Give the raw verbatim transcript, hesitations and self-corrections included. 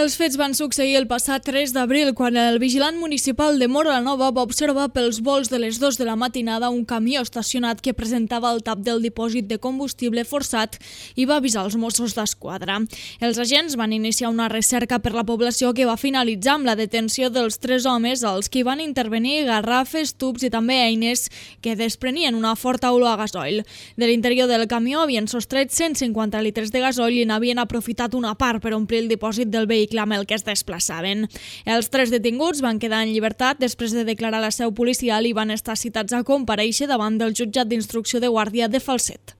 Els fets van succeir el passat tres d'abril, quan el vigilant municipal de Móra la Nova va observar pels volts de les dues de la matinada un camió estacionat que presentava el tap del dipòsit de combustible forçat i va avisar els Mossos d'Esquadra. Els agents van iniciar una recerca per la població que va finalitzar amb la detenció dels tres homes, als qui van intervenir garrafes, tubs i també eines que desprenien una forta olor a gasoil. De l'interior del camió havien sostret cent cinquanta litres de gasoil i n'havien aprofitat una part per omplir el dipòsit del vehicle amb el que es desplaçaven. Els tres detinguts van quedar en llibertat després de declarar la seu policial i van estar citats a comparèixer davant del jutjat d'instrucció de Guàrdia de Falset.